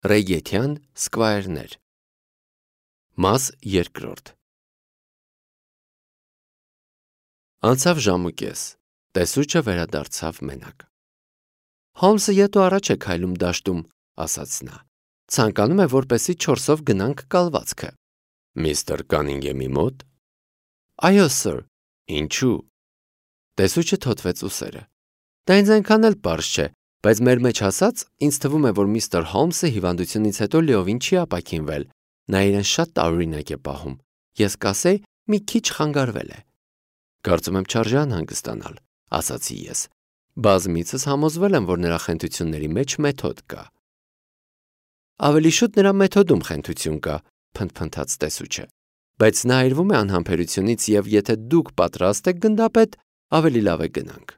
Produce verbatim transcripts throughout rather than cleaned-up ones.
Ռեյգեթյան սկվայրներ։ Մաս երկրորդ։ Անցավ ժամ ու կես, տեսուչը վերադարձավ մենակ։ Հոլմսը ետ ու առաջ է քայլում դաշտում, ասաց նա, ցանկանում է, որպեսզի չորսով գնանք կալվածքը։ Միստր Կանինգեմի մոտ։ Այո, սըր, ինչու։ Տեսուչը թոթվեց ուսերը։ Դա ինձ այնքան էլ պարզ չէ, բայց մեր մեջ ասած, ինձ թվում է, որ միստր Հոլմսը հիվանդությունից հետո լիովին չի ապաքինվել, նա իրեն շատ տարօրինակ է պահում, ես կասեի, մի քիչ խանգարվել է։ Կարծում եմ չարժե անհանգստանալ, ասացի ես։ Բազմիցս համոզվել եմ, որ նրա խենթությունների մեջ մեթոդ կա։ Ավելի շուտ նրա մեթոդում խենթություն կա, փնթփնթաց տեսուչը, բայց նա այրվում է անհամբերությունից և եթե դուք պատրաստ եք գնդապետ, ավելի լավ է գնանք։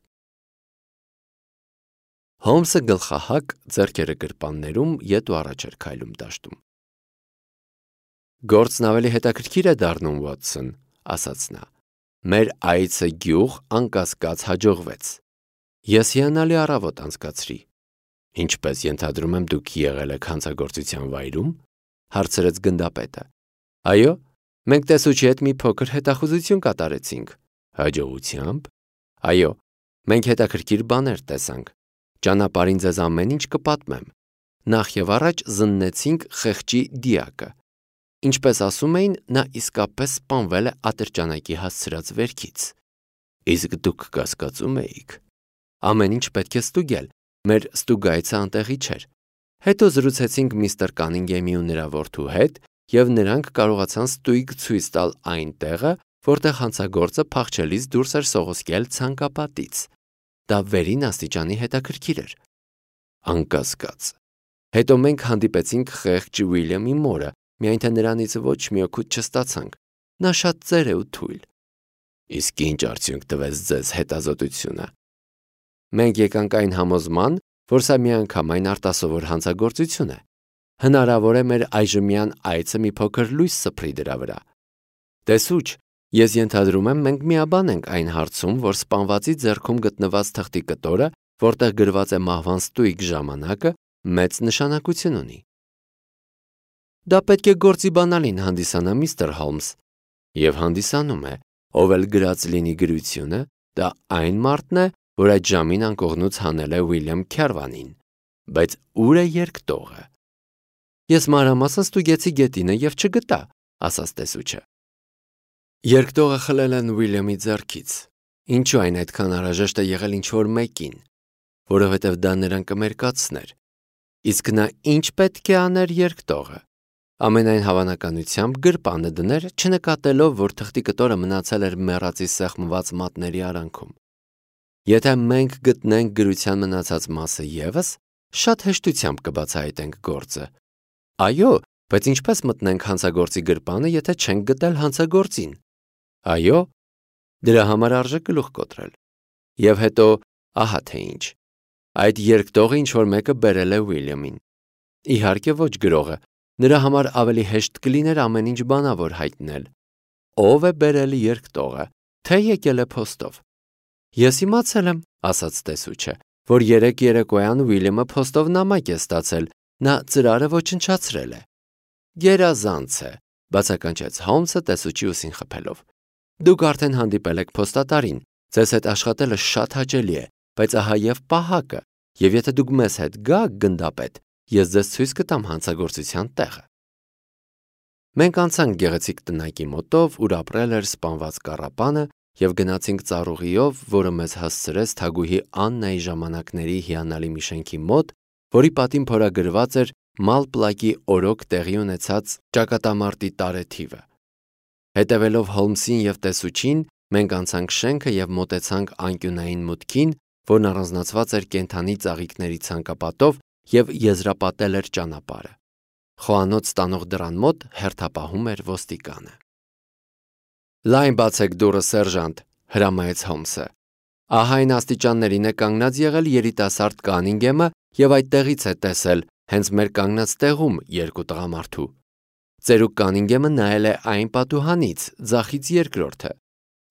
Հոլմսը գլխահակ, ձեռքերը գրպաններում ետ ու առաջ էր քայլում դաշտում։ Գործն ավելի հետաքրքիր է դառնում, Վոթսոն, ասաց նա։ Մեր այցը գյուղ անկասկած հաջողվեց։ Ես հիանալի առավոտ անցկացրի։ Ինչպես ենթադրում եմ դուք եղել եք հանցագործության վայրում, հարցրեց գնդապետը։ Այո, մենք տեսուչի հետ մի փոքր հետախուզություն կատարեցինք։ Հաջողությամբ։ Այո, մենք հետաքրքիր բաներ տեսանք։ Ճանապարհին ձեզ ամեն ինչ կպատմեմ։ Նախ եւ առաջ զննեցինք խեղճի դիակը։ Ինչպես ասում էին, նա իսկապես սպանվել է ատրճանակի հասցրած վերքից։ Իսկ դուք կասկածում էիք։ Ամեն ինչ պետք է ստուգել, մեր ստուգայցը անտեղի չէր։ Հետո զրուցեցինք միստր Կանինգեմի ու նրա որդու հետ, եւ նրանք կարողացան ստույգ ցույց տալ այն տեղը, որտեղ հանցագործը փախչելիս դուրս էր սողոսկել ցանկապատից։ Դա վերին աստիճանի հետաքրքիր էր։ Անկասկած։ Հետո մենք հանդիպեցինք խեղճ Ուիլյամի մորը, միայն թե նրանից ոչ մի օգուտ չստացանք։ Նա շատ ծեր է ու թույլ։ Իսկ ինչ արդյունք տվեց ձեզ հետազոտությունը։ Մենք եկանք այն համոզման, որ սա միանգամայն արտասովոր հանցագործություն է։ Հնարավոր է մեր այժմյան այցը մի փոքր լույս սփռի դրա վրա։ Տեսուչ, ես ենթադրում եմ, մենք միաբան ենք այն հարցում, որ սպանվածի ձեռքում գտնված թղթի կտորը, որտեղ գրված է մահվան ստույգ ժամանակը, մեծ նշանակություն ունի։ Դա պետք է գործի բանալին հանդիսանա, միստր Հոլմս, եւ հանդիսանում է, ով էլ գրած լինի գրությունը, դա այն մարդն է, որ այդ ժամին անկողնուց հանել է Ուիլյամ Քյարվանին, բայց ուր է երկտողը։ Ես մանրամասն ստուգեցի գետինը եւ չգտա, ասաց տեսուչը։ Երկտողը խլել են Ուիլյամի ձեռքից։ Ինչու այն այդքան անհրաժեշտ է եղել ինչ-որ մեկին, որովհետև դա նրան կմերկացներ։ Իսկ նա ինչ պետք է աներ երկտողը։ Ամենայն հավանականությամբ գրպանը դներ, չնկատելով, որ թղթի կտորը մնացել էր մեռածի սեղմված մատների արանքում։ Եթե մենք գտնենք գրության մնացած մասը ևս, շատ հեշտությամբ կբացահայտենք գործը։ Այո, բայց ինչպես մտնենք հանցագործի գրպանը, եթե չենք գտել հանցագործին։ Այո, դրա համար արժե գլուխ կոտրել։ Եվ հետո, ահա թե ինչ։ Այդ երկտողը ինչ-որ մեկը բերել է Ուիլյամին։ Իհարկե ոչ գրողը, նրա համար ավելի հեշտ կլիներ ամեն ինչ բանավոր հայտնել։ Ով է բերել երկտողը, թե եկել է փոստով։ Ես իմացել եմ, ասաց տեսուչը, որ երեկ երեկոյան Ուիլյամը փոստով նամակ է ստացել, նա ծրարը ոչնչացրել է։ Գերազանց է, բացականչեց Հոլմսը տեսուչի ուսին խփելով։ Դուք արդեն հանդիպել եք փոստատարին, ձեզ հետ աշխատելը շատ հաճելի է, բայց ահա եւ պահակը, եւ եթե դուք մեզ հետ գաք գնդապետ, ես ձեզ ցույց կտամ հանցագործության տեղը։ Մենք անցանք գեղեցիկ տնակի մոտով, ուր ապրել էր սպանված կառապանը, եւ գնացինք ծառուղիով, որը մեզ հասցրեց Թագուհի Աննայի ժամանակների հիանալի մի շենքի մոտ, որի պատին փորագրված էր Մալպլակի օրոք տեղի ունեցած ճակատամարտի տարեթիվը։ Հետևելով Հոլմսին եւ տեսուչին, մենք անցանք շենքը եւ մոտեցանք անկյունային մուտքին, որն առանձնացված էր կենդանի ծաղիկների ցանկապատով եւ եզրապատել էր ճանապարհը։ Խոհանոց ստանող դռան մոտ հերթապահում էր ոստիկանը։ Լայն բացեք դուռը, սերժանտ, հրամայեց Հոլմսը։ Ահա այն աստիճաններին է կանգնած եղել երիտասարդ Կանինգեմը եւ այդտեղից է տեսել հենց մեր կանգնած տեղում երկու տղամարդու։ Ծերուկ Կանինգեմը նայել է այն պատուհանից, ձախից երկրորդը։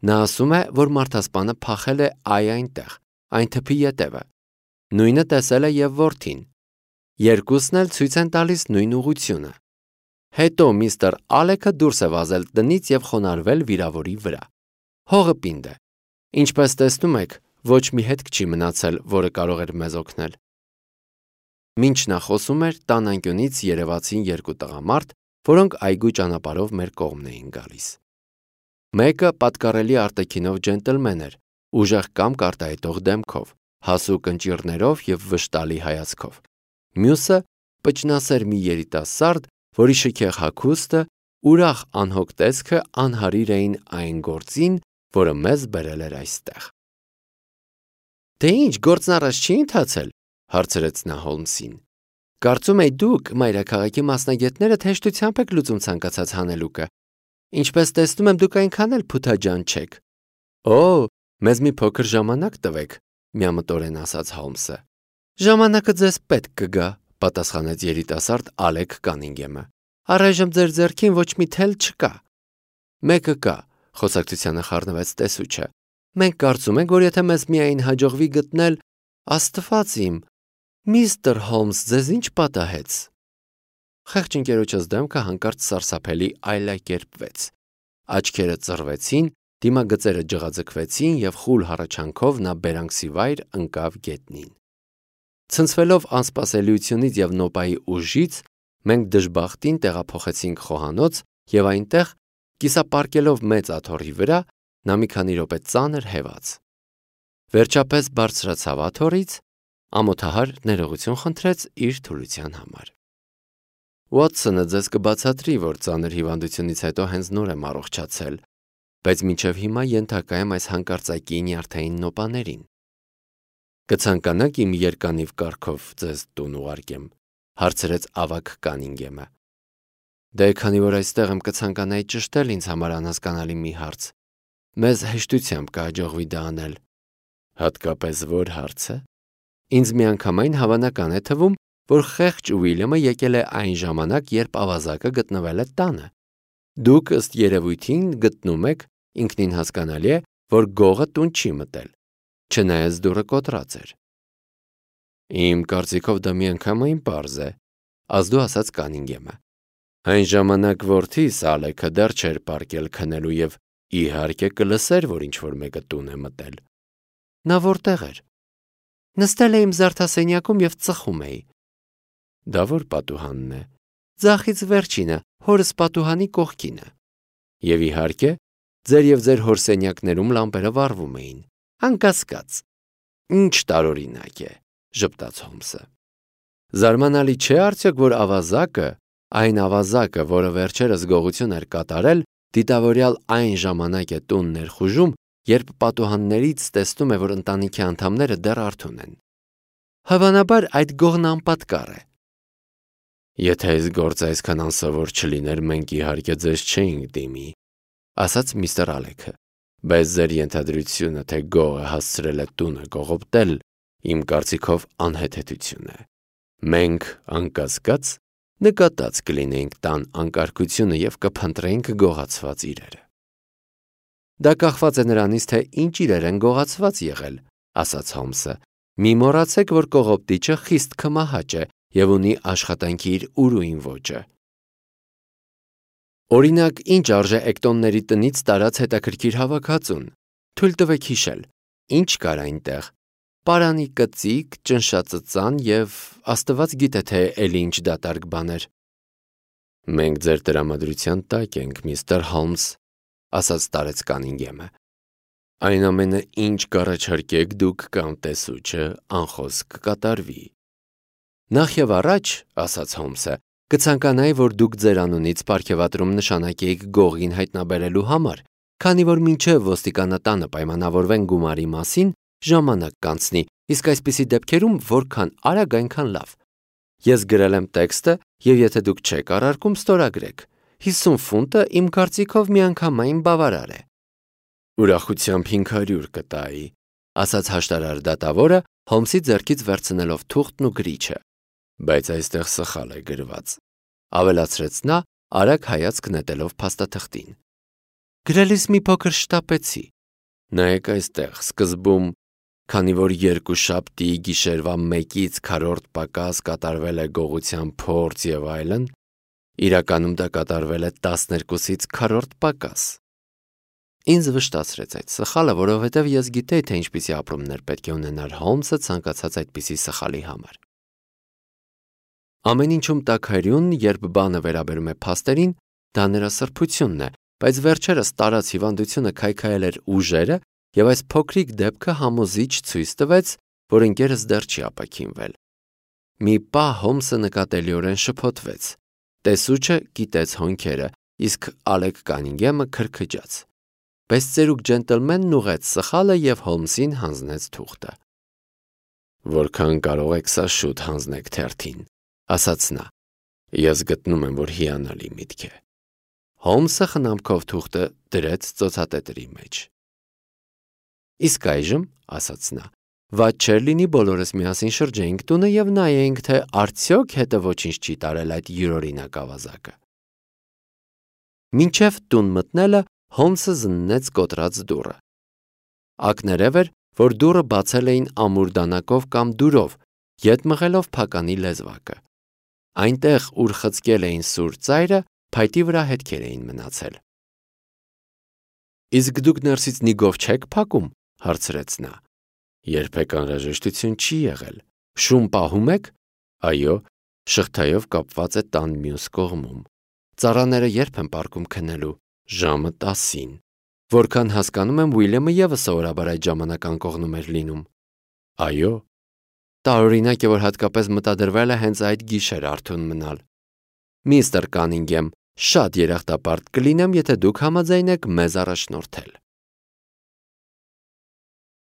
Նա ասում է, որ մարդասպանը փախել է այ այնտեղ, այն թփի ետևը։ Նույնը տեսել է եւ որդին։ Երկուսն էլ ցույց են տալիս նույն ուղղությունը։ Հետո միստր Ալեքը դուրս է վազել տնից և խոնարհվել վիրավորի վրա։ Հողը պինդ է։ Ինչպես տեսնում եք, ոչ մի հետք չի մնացել, որը կարող էր մեզ օգնել։ Մինչ նա խոսում էր, տան անկյունից երևացին երկու տղամարդ, որոնք այգու ճանապարհով մեր կողմն էին գալիս։ Մեկը պատկառելի արտաքինով ջենտլմեն էր, ուժեղ կամք արտահայտող դեմքով, հասու կնճիռներով և վշտալի հայացքով։ Մյուսը պճնասեր մի երիտասարդ, որի շքեղ հագուստը, ուրախ անհոգ տեսքը անհարիր էին այն գործին, որը մեզ բերել էր այստեղ։ Դե ինչ, գործն առաջ չի ընթացել, հարցրեց նա Հոլմսին։ Կարծում էի դուք, մայրաքաղաքի մասնագետները, հեշտությամբ եք լուծում ցանկացած հանելուկը։ Ինչպես տեսնում եմ, դուք այնքան էլ փութաջան չեք։ Օ, մեզ մի փոքր ժամանակ տվեք, միամտորեն ասաց Հոլմսը։ Ժամանակը ձեզ պետք կգա, պատասխանեց երիտասարդ Ալեք Կանինգեմը։ Առայժմ ձեր ձեռքին ոչ մի թել չկա։ Մեկը կա, խոսակցությանը խառնվեց տեսուչը։ Մենք կարծում ենք, որ եթե մեզ միայն հաջողվի գտնել, Աստված իմ, միստր Հոլմս, ձեզ ինչ պատահեց։ Խեղճ ընկերոջս դեմքը հանկարծ սարսափելի այլակերպվեց։ Աչքերը ծռվեցին, դիմագծերը ջղաձգվեցին և խուլ հառաչանքով նա բերանքսի վայր ընկավ գետնին։ Ցնցվելով անսպասելիությունից և նոպայի ուժից, մենք դժբախտին տեղափոխեցինք խոհանոց և այնտեղ, կիսապարկելով մեծ աթոռի վրա, նա մի քանի րոպե ծանր հևաց։ Վերջապես բարձրացավ աթոռից, ամոթահար ներողություն խնդրեց իր թուլության համար։ Ուոթսոնը ձեզ կբացատրի, որ ծանր հիվանդությունից հետո հենց նոր եմ առողջացել, բայց մինչև հիմա ենթակա եմ այս հանկարծակի նյարդային նոպաներին։ Կցանկանաք իմ երկանիվ կարգով ձեզ տուն ուղարկեմ, հարցրեց ավագ Կանինգեմը։ Դե քանի որ այստեղ եմ, կցանկանայի ճշտել ինձ համար անհասկանալի մի հարց։ Մեզ հեշտությամբ կհաջողվի դա անել։ Հատկապես որ հարցը։ Ինձ միանգամայն հավանական է թվում, որ խեղճ Ուիլյամը եկել է այն ժամանակ, երբ ավազակը գտնվել է տանը։ Դուք ըստ երևույթին գտնում եք, ինքնին հասկանալի է, որ գողը տուն չի մտել, չնայած դուռը կոտրած էր։ Իմ կարծիքով դա միանգամայն պարզ է, ազդու ասաց Կանինգեմը։ Այն ժամանակ որդիս Ալեքը դեռ չէր պառկել քնելու և իհարկե կլսեր, որ ինչ-որ մեկը տուն է մտել։ Նա որտեղ էր։ Նստել էի իմ զարդասենյակում և ծխում էի։ Դա որ պատուհանն է։ Ձախից վերջինը, հորս պատուհանի կողքինը։ Եվ իհարկե, ձեր և ձեր հոր սենյակներում լամպերը վառվում էին։ Անկասկած։ Ինչ տարօրինակ է, ժպտաց Հոլմսը։ Զարմանալի չէ արդյոք, որ ավազակը, այն ավազակը, որը վերջերս գողություն էր կատարել, դիտավորյալ այն ժամանակ է տուն ներխուժում, երբ պատուհաններից տեսնում է, որ ընտանիքի անդամները դեռ արթուն են։ Հավանաբար այդ գողն անպատկառ է։ Եթե այս գործը այսքան անսովոր չլիներ, մենք իհարկե ձեզ չէինք դիմի, ասաց միստր Ալեքը, բայց ձեր ենթադրությունը, թե գողը հասցրել է տունը կողոպտել, իմ կարծիքով անհեթեթություն է։ Մենք, անկասկած, նկատած կլինեինք տան անկարգությունը և կփնտրեինք գողացված իրերը։ Դա կախված է նրանից, թե ինչ իրեր են գողացված եղել, ասաց Հոլմսը։ Մի մոռացեք, որ կողոպտիչը խիստ քմահաճ է և ունի աշխատանքի իր ուրույն ոճը։ Օրինակ, ինչ արժե Էկտոնների տնից տարած հետաքրքիր հավաքածուն։ Թույլ տվեք հիշել, ինչ կար այնտեղ։ Պարանի կծիկ, ճնշածծան և Աստված գիտե, թե էլի ինչ դատարկ բաներ։ Մենք ձեր տրամադրության տակ ենք, միստր Հոլմս, ասաց տարեց Կանինգեմը։ Այն ամենը, ինչ կառաջարկեք դուք կամ տեսուչը, անխոսք կկատարվի։ Նախ և առաջ, ասաց Հոլմսը, կցանկանայի, որ դուք ձեր անունից պարգևատրում նշանակեիք գողին հայտնաբերելու համար, քանի որ մինչև ոստիկանատանը պայմանավորվեն գումարի մասին, ժամանակ կանցնի, իսկ այսպիսի դեպքերում որքան արագ, այնքան լավ։ Ես գրել եմ տեքստը, և եթե դուք չեք առարկում, ստորագրեք։ հիսուն ֆունտը իմ կարծիքով միանգամայն բավարար է։ Ուրախությամբ հինգ հարյուր կտայի, ասաց հաշտարար դատավորը, Հոլմսի ձեռքից վերցնելով թուղթն ու գրիչը։ Բայց այստեղ սխալ է գրված, ավելացրեց նա, արագ հայացք նետելով փաստաթղթին։ Գրելիս մի փոքր շտապեցի։ Նայեք այստեղ, սկզբում քանի որ երկուշաբթի գիշերվա մեկից քառորդ պակաս կատարվել է գողության փորձ եւ այլն, իրականում դա կատարվել է տասներկուսից քառորդ պակաս։ Ինձ վշտացրեց այդ սխալը, որովհետև ես գիտեի, թե ինչպիսի ապրումներ պետք է ունենար Հոլմսը ցանկացած այդպիսի սխալի համար։ Ամեն ինչում տաքարյուն, երբ բանը վերաբերում է փաստերին, դա նրա սրբությունն է, բայց վերջերս տարած հիվանդությունը քայքայել էր ուժերը, եւ այս փոքրիկ դեպքը համոզիչ ցույց տվեց, որ ընկերս դեռ չի ապաքինվել։ Մի պահ Հոլմսը նկատելիորեն շփոթվեց։ Տեսուչը գիտեց հոնքերը, իսկ Ալեք Կանինգեմը քրքջաց։ Բայց ծերուկ ջենտլմենն ուղեց սխալը եւ Հոլմսին հանձնեց թուղթը։ Որքան կարող եք սա շուտ հանձնեք թերթին, ասաց նա։ Ես գտնում եմ, որ հիանալի միտք է։ Հոլմսը խնամքով թուղթը դրեց ծոցատետրի մեջ։ Իսկ այժմ, ասաց նա, վատ չէր լինի բոլորս միասին շրջեինք տունը եւ նայեինք, թե արդյոք հետը ոչինչ չի տարել այդ յուրօրինակ ավազակը։ Մինչև տուն մտնելը Հոլմսը զննեց կոտրած դուռը։ Ակներև էր, որ դուռը բացել էին ամուր դանակով կամ դուրով, ետ մղելով փականի լեզվակը։ Այնտեղ, ուր խցկել էին սուր ծայրը, փայտի վրա հետքեր էին մնացել։ Իսկ դուք ներսից նիգով չեք փակում, հարցրեց նա։ Երբեք անհրաժեշտություն չի եղել։ Շուն պահում եք։ Այո, շղթայով կապված է տան մյուս կողմում։ Ծառաները երբ են պարկում քնելու։ Ժամը տասին։ Որքան հասկանում եմ, Ուիլյամը ևս սովորաբար այդ ժամանակ անկողնում էր լինում։ Այո։ Տարօրինակ է, որ հատկապես մտադրվել է հենց այդ գիշեր արթուն մնալ։ Միստր Կանինգեմ, շատ երախտապարտ կլինեմ, եթե դուք համաձայնեք մեզ առաջնորդել։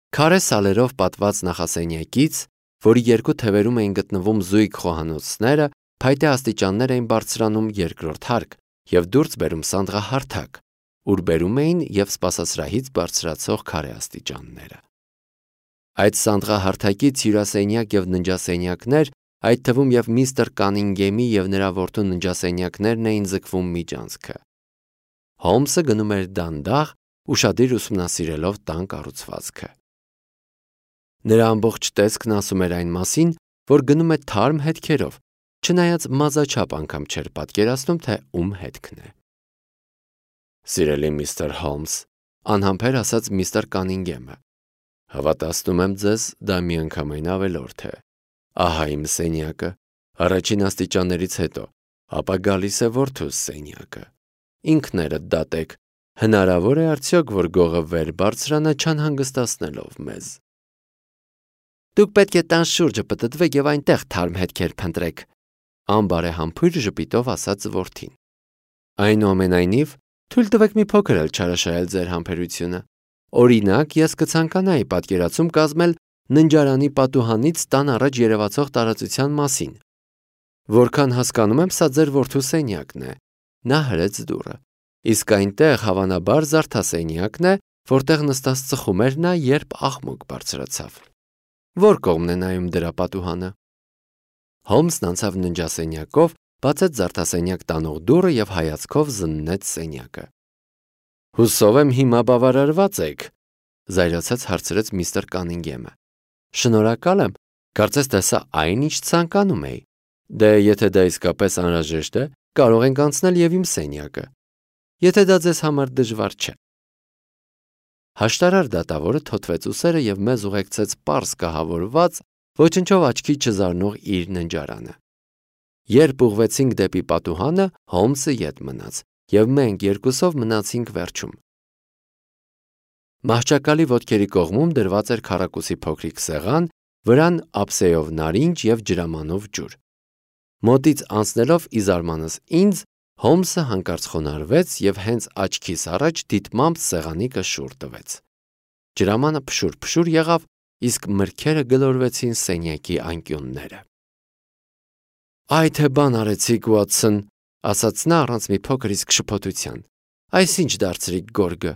Քարե սալերով պատված նախասենյակից, որի երկու թևերում էին գտնվում զույգ խոհանոցները, փայտե աստիճաններ էին բարձրանում երկրորդ հարկ եւ դուրս բերում սանդղահարթակ, ուր բերում էին եւ սպասասրահից բարձրացող քարե աստիճանները։ Այդ սանդղահարթակից հյուրասենյակ եւ ննջասենյակներ, այդ թվում եւ միստր Կանինգեմի եւ նրա որդու ննջասենյակներն էին ձգվում միջանցքը։ Հոլմսը գնում էր դանդաղ, ուշադիր ուսումնասիրելով տան կառուցվածքը։ Նրա ամբողջ տեսքն ասում էր այն մասին, որ գնում է թարմ հետքերով, չնայած մազաչափ անգամ չէր պատկերացնում, թե ում հետքն է։ Սիրելի միստր Հոլմս, անհամբեր ասաց միստր Կանինգեմը, հավատացնում եմ ձեզ, դա միանգամայն ավելորդ է։ Ահա իմ սենյակը, առաջին աստիճաններից հետո, ապա գալիս է որդուս սենյակը։ Ինքներդ դատեք, հնարավոր է արդյոք, որ գողը վեր բարձրանա չանհանգստացնելով մեզ։ Դուք պետք է տան շուրջը պտտվեք եւ այնտեղ թարմ հետքեր փնտրեք, անբարեհամբույր ժպիտով ասաց որդին։ Այնուամենայնիվ, թույլ տվեք մի փոքր էլ չարաշահել ձեր համբերությունը։ Օրինակ, ես կցանկանայի պատկերացում կազմել ննջարանի պատուհանից տան առաջ երևացող տարածության մասին։ Որքան հասկանում եմ, սա ձեր որդու սենյակն է։ Նա հրեց դուռը։ Իսկ այնտեղ հավանաբար զարդասենյակն է, որտեղ նստած ծխում էր նա, երբ աղմուկ բարձրացավ։ Որ կողմն է նայում դրա պատուհանը։ Հոլմսն անցավ ննջասենյակով, բացեց զարդասենյակ տանող դուռը եւ հայացքով զննեց սենյակը։ Հուսով եմ հիմա բավարարված եք, զայրացած հարցրեց միստր Կանինգեմը։ Շնորհակալ եմ, կարծես թե սա այն ինչ ցանկանում էի։ Դե եթե դա իսկապես անհրաժեշտ է, կարող ենք անցնել եւ իմ սենյակը։ Եթե դա ձեզ համար դժվար չէ։ Հաշտարար դատավորը թոթվեց ուսերը եւ մեզ ուղեկցեց պարզ կահավորված, ոչնչով աչքի չզարնող իր ննջարանը։ Երբ ուղվեցինք դեպի պատուհանը, Հոլմսը ետ մնաց, եւ մենք երկուսով մնացինք վերջում։ Մահճակալի ոտքերի կողմում դրված էր քառակուսի փոքրիկ սեղան, վրան ափսեով նարինջ եւ ջրամանով ջուր։ Մոտից անցնելով ի զարմանս ինձ, Հոլմսը հանկարծ խոնարհվեց եւ հենց աչքիս առաջ դիտմամբ սեղանի կշուռ տվեց։ Ջրամանը փշուր-փշուր եղավ, իսկ մրգերը գլորվեցին սենյակի անկյունները։ Այ թե բան արեցիք, Ուատսոն, ասաց նա առանց մի փոքր իսկ շփոթության։ Այսինչ դարձրիք գորգը։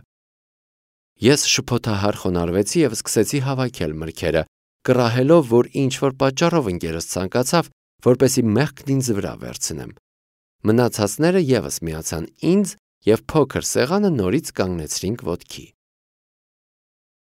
Ես շփոթահար խոնարհվեցի եւ սկսեցի հավաքել մրգերը, կռահելով, որ ինչ որ պատճառով ընկերս ցանկացավ, որպեսի մեղքն ինձ վրա վերցնեմ։ Մնացածները եւս միացան ինձ եւ փոքր սեղանը նորից կանգնեցրինք ոտքի։